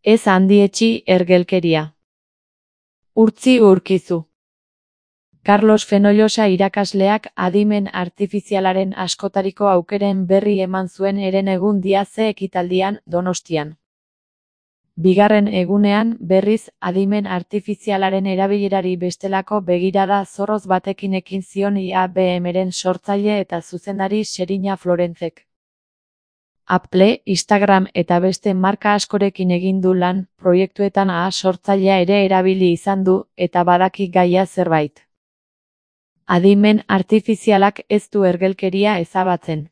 Ez handietsi ergelkeria. Urtzi urkizu. Carlos Fenollosa irakasleak adimen artifizialaren askotariko aukeren berri eman zuen herenegun diaze ekitaldian Donostian. Bigarren egunean, berriz, adimen artifizialaren erabilerari bestelako begirada zorroz batekin ekin zion IABM-ren sortzaile eta zuzendari Xerina Florentzek. Apple, Instagram eta beste marka askorekin egin du lan, proiektuetan sortzailea ere erabili izan du, eta badaki gaia zerbait. Adimen artifizialak ez du ergelkeria ezabatzen.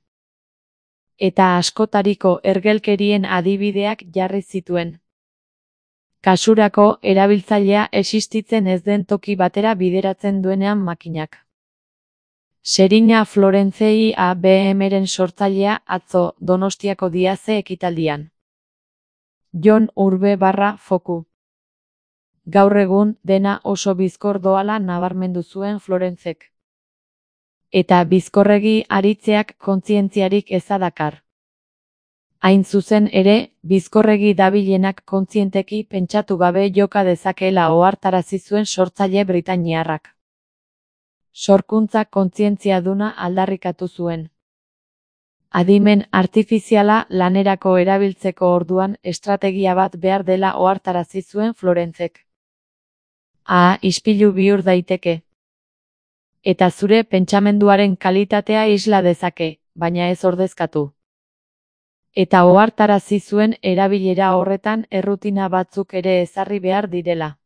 Eta askotariko ergelkerien adibideak jarri zituen. Kasurako, erabiltzailea existitzen ez den toki batera bideratzen duenean makinak. Xerina Florentze IABM-ren sortzailea atzo Donostiako diaze ekitaldian. Jon Urbe/Foku. Gaur egun, dena oso bizkor doala nabarmendu zuen Florentzek. Eta bizkorregi aritzeak kontzientziarik eza dakar. Hain zuzen ere, bizkorregi dabilenak kontzienteki pentsatu gabe joka dezakeela ohartarazi zuen sortzaile britainiarrak. Sorkuntza kontzientziaduna aldarrikatu zuen. Adimen artifiziala lanerako erabiltzeko orduan estrategia bat behar dela ohartarazi zuen Florentzek. Ispilu bihur daiteke. Eta zure pentsamenduaren kalitatea isla dezake, baina ez ordezkatu. Eta ohartarazi zuen erabilera horretan errutina batzuk ere ezarri behar direla.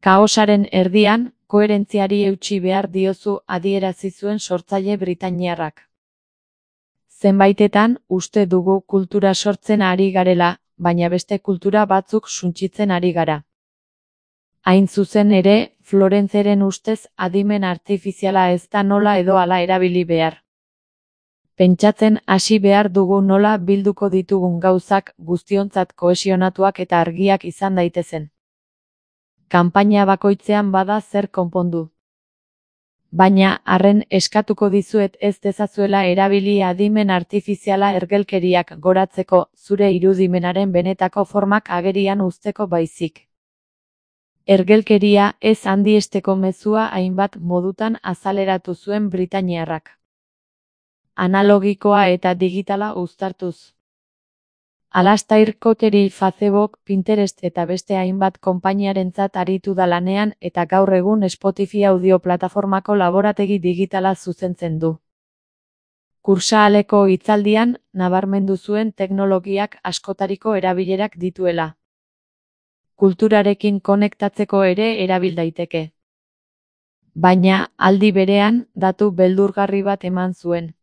Kaosaren erdian, koherentziari eutsi behar diozu adierazi zuen sortzaile britainiarrak. Zenbaitetan, uste dugu kultura sortzen ari garela, baina beste kultura batzuk suntsitzen ari gara. Hain zuzen ere, Florentzeren ustez adimen artifiziala ez da nola edo hala erabili behar. Pentsatzen hasi behar dugu nola bilduko ditugun gauzak guztiontzat kohesionatuak eta argiak izan daitezen. Kanpaina bakoitzean bada zer konpondu. Baina, arren eskatuko dizuet ez dezazuela erabili adimen artifiziala ergelkeriak goratzeko zure irudimenaren benetako formak agerian uzteko baizik. Ergelkeria ez handiesteko mezua hainbat modutan azaleratu zuen britainiarrak. Analogikoa eta digitala uztartuz. Alastair Cotteri Facebook, Pinterest eta beste hainbat konpainiarentzat aritu da lanean eta gaur egun Spotify audio plataformako laborategi digitala zuzentzen du. Kursaaleko hitzaldian, nabarmendu zuen teknologiak askotariko erabilerak dituela. Kulturarekin konektatzeko ere erabil daiteke. Baina, aldi berean, datu beldurgarri bat eman zuen.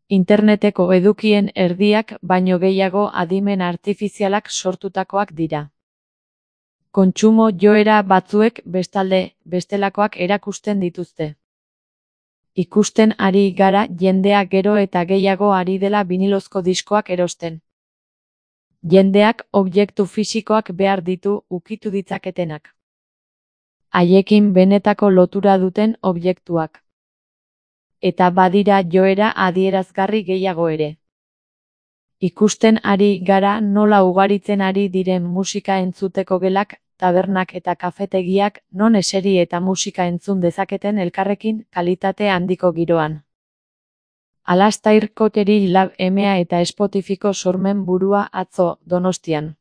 Interneteko edukien erdiak baino gehiago adimen artifizialak sortutakoak dira. Kontsumo joera batzuek bestalde, bestelakoak erakusten dituzte. Ikusten ari gara jendea gero eta gehiago ari dela binilozko diskoak erosten. Jendeak objektu fisikoak behar ditu ukitu ditzaketenak. Haiekin benetako lotura duten objektuak. Eta badira joera adierazgarri gehiago ere. Ikusten ari gara nola ugaritzen ari diren musika entzuteko gelak, tabernak eta kafetegiak non eseri eta musika entzun dezaketen elkarrekin kalitate handiko giroan. Alastair Cotteri Lab EMEA eta Spotifyko sormen burua atzo Donostian.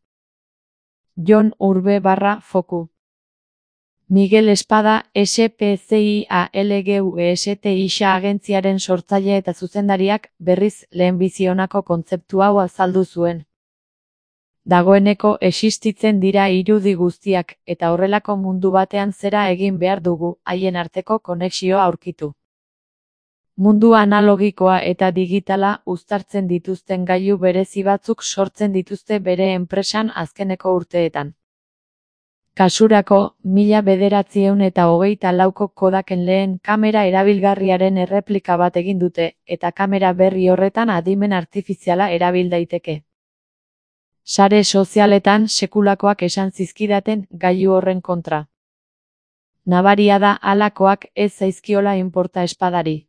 Jon Urbe/Foku. Miguel Espada, SPCIALGUESTIxa agentziaren sortzaile eta zuzendariak berriz lehenbizionako kontzeptu hau azaldu zuen. Dagoeneko existitzen dira irudi guztiak eta horrelako mundu batean zera egin behar dugu haien arteko konexioa aurkitu. Mundu analogikoa eta digitala uztartzen dituzten gailu berezi batzuk sortzen dituzte bere enpresan azkeneko urteetan. Kasurako, 1994ko Kodaken lehen kamera erabilgarriaren erreplika bat egin dute, eta kamera berri horretan adimen artifiziala erabil daiteke. Sare sozialetan sekulakoak esan zizkidaten gailu horren kontra. Nabaria da halakoak ez zaizkiola inporta Espadari.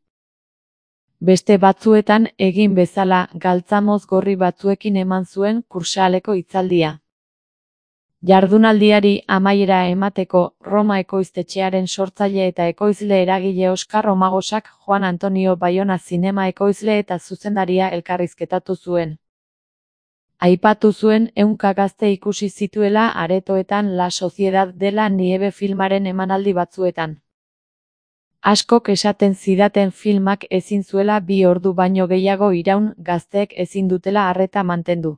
Beste batzuetan egin bezala galtzamoz gorri batzuekin eman zuen kursaaleko hitzaldia. Jardunaldiari amaiera emateko Roma ekoiztetxearen sortzaile eta ekoizle eragile Oskar Romagosak Juan Antonio Bayona zinema ekoizle eta zuzendaria elkarrizketatu zuen. Aipatu zuen ehunka gazte ikusi zituela aretoetan La Sociedad de la Nieve filmaren emanaldi batzuetan. Askok esaten zidaten filmak ezin zuela 2 ordu baino gehiago iraun, gazteek ezin dutela arreta mantendu.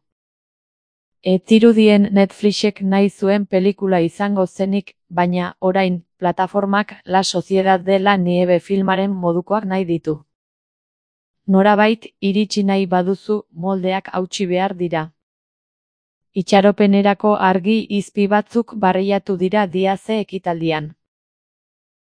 Ez zirudien Netflixek nahi zuen pelikula izango zenik, baina, orain, plataformak La Sociedad de la Nieve filmaren modukoak nahi ditu. Norabait, iritsi nahi baduzu, moldeak hautsi behar dira. Itxaropenerako argi izpi batzuk barreiatu dira Diaze ekitaldian.